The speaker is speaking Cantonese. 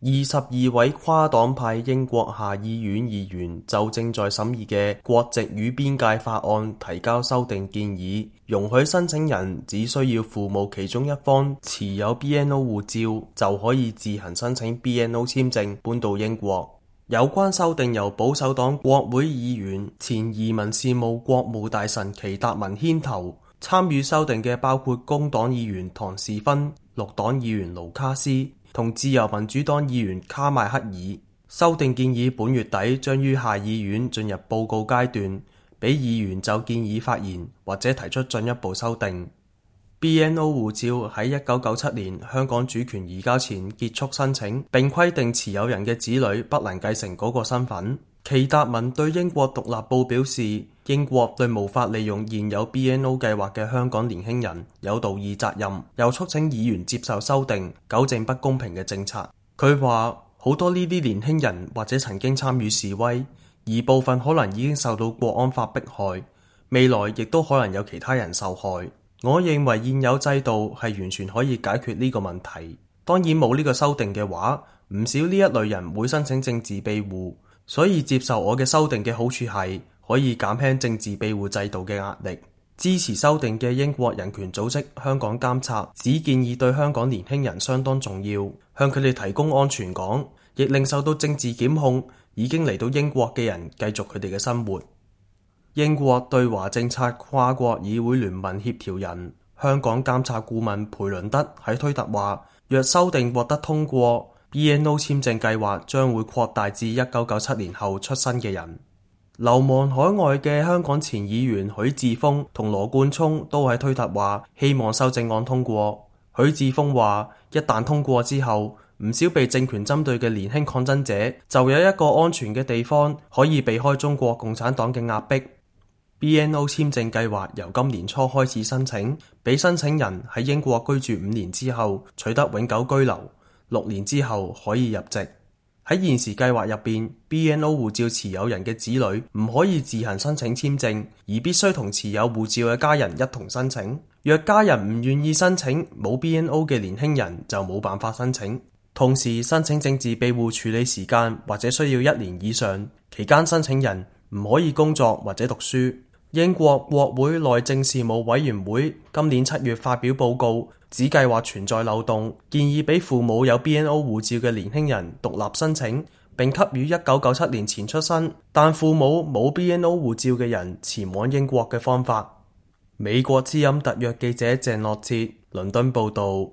22位跨黨派英國下議院議員就正在審議嘅國籍與邊界法案提交修訂建議，容許申請人只需要父母其中一方持有 BNO 護照就可以自行申請 BNO 簽證搬到英國。有關修訂由保守黨國會議員、前移民事務國務大臣祁達文牽頭，參與修訂嘅包括工黨議員唐士芬、綠黨議員盧卡斯同自由民主黨議員卡邁克爾。修訂建議本月底將於下議院進入報告階段，俾議員就建議發言或者提出進一步修訂。BNO 護照喺1997年香港主權移交前結束申請，並規定持有人嘅子女不能繼承嗰個身份。祁達文對英國獨立報表示，英國對無法利用現有 BNO 計劃嘅香港年輕人有道義責任，又促請議員接受修訂，糾正不公平嘅政策。佢話好多呢啲年輕人或者曾經參與示威，而部分可能已經受到國安法迫害，未來亦都可能有其他人受害。我認為現有制度係完全可以解決呢個問題。當然冇呢個修訂嘅話，唔少呢一類人會申請政治庇護。所以接受我嘅修訂嘅好處係可以減輕政治庇護制度嘅壓力。支持修訂嘅英國人權組織香港監察只建議對香港年輕人相當重要，向佢哋提供安全港，亦令受到政治檢控已經嚟到英國嘅人繼續佢哋嘅生活。英國對華政策跨國議會聯盟協調人、香港監察顧問培倫德喺推特話，若修訂獲得通過，BNO 簽證計劃將會擴大至1997年後出生嘅人。流亡海外嘅香港前議員許智峰同羅冠聰都喺推特話希望修正案通過。許智峰話，一旦通過之後，唔少被政權針對嘅年輕抗爭者就有一個安全嘅地方可以避開中國共產黨嘅壓迫。BNO 簽證計劃由今年初開始申請，俾申請人喺英國居住5年之後取得永久居留，6年之後可以入籍。喺現時計劃入邊， BNO 護照持有人嘅子女唔可以自行申請簽證，而必須同持有護照嘅家人一同申請。若家人唔願意申請，冇 BNO 嘅年輕人就冇辦法申請。同時，申請政治庇護處理時間或者需要1年以上，期間申請人唔可以工作或者讀書。英國國會內政事務委員會今年7月發表報告，指計劃存在漏洞，建議俾父母有 BNO 護照嘅年輕人獨立申請，並給予1997年前出生但父母冇 BNO 護照嘅人前往英國嘅方法。美國之音特約記者鄭樂哲，倫敦報道。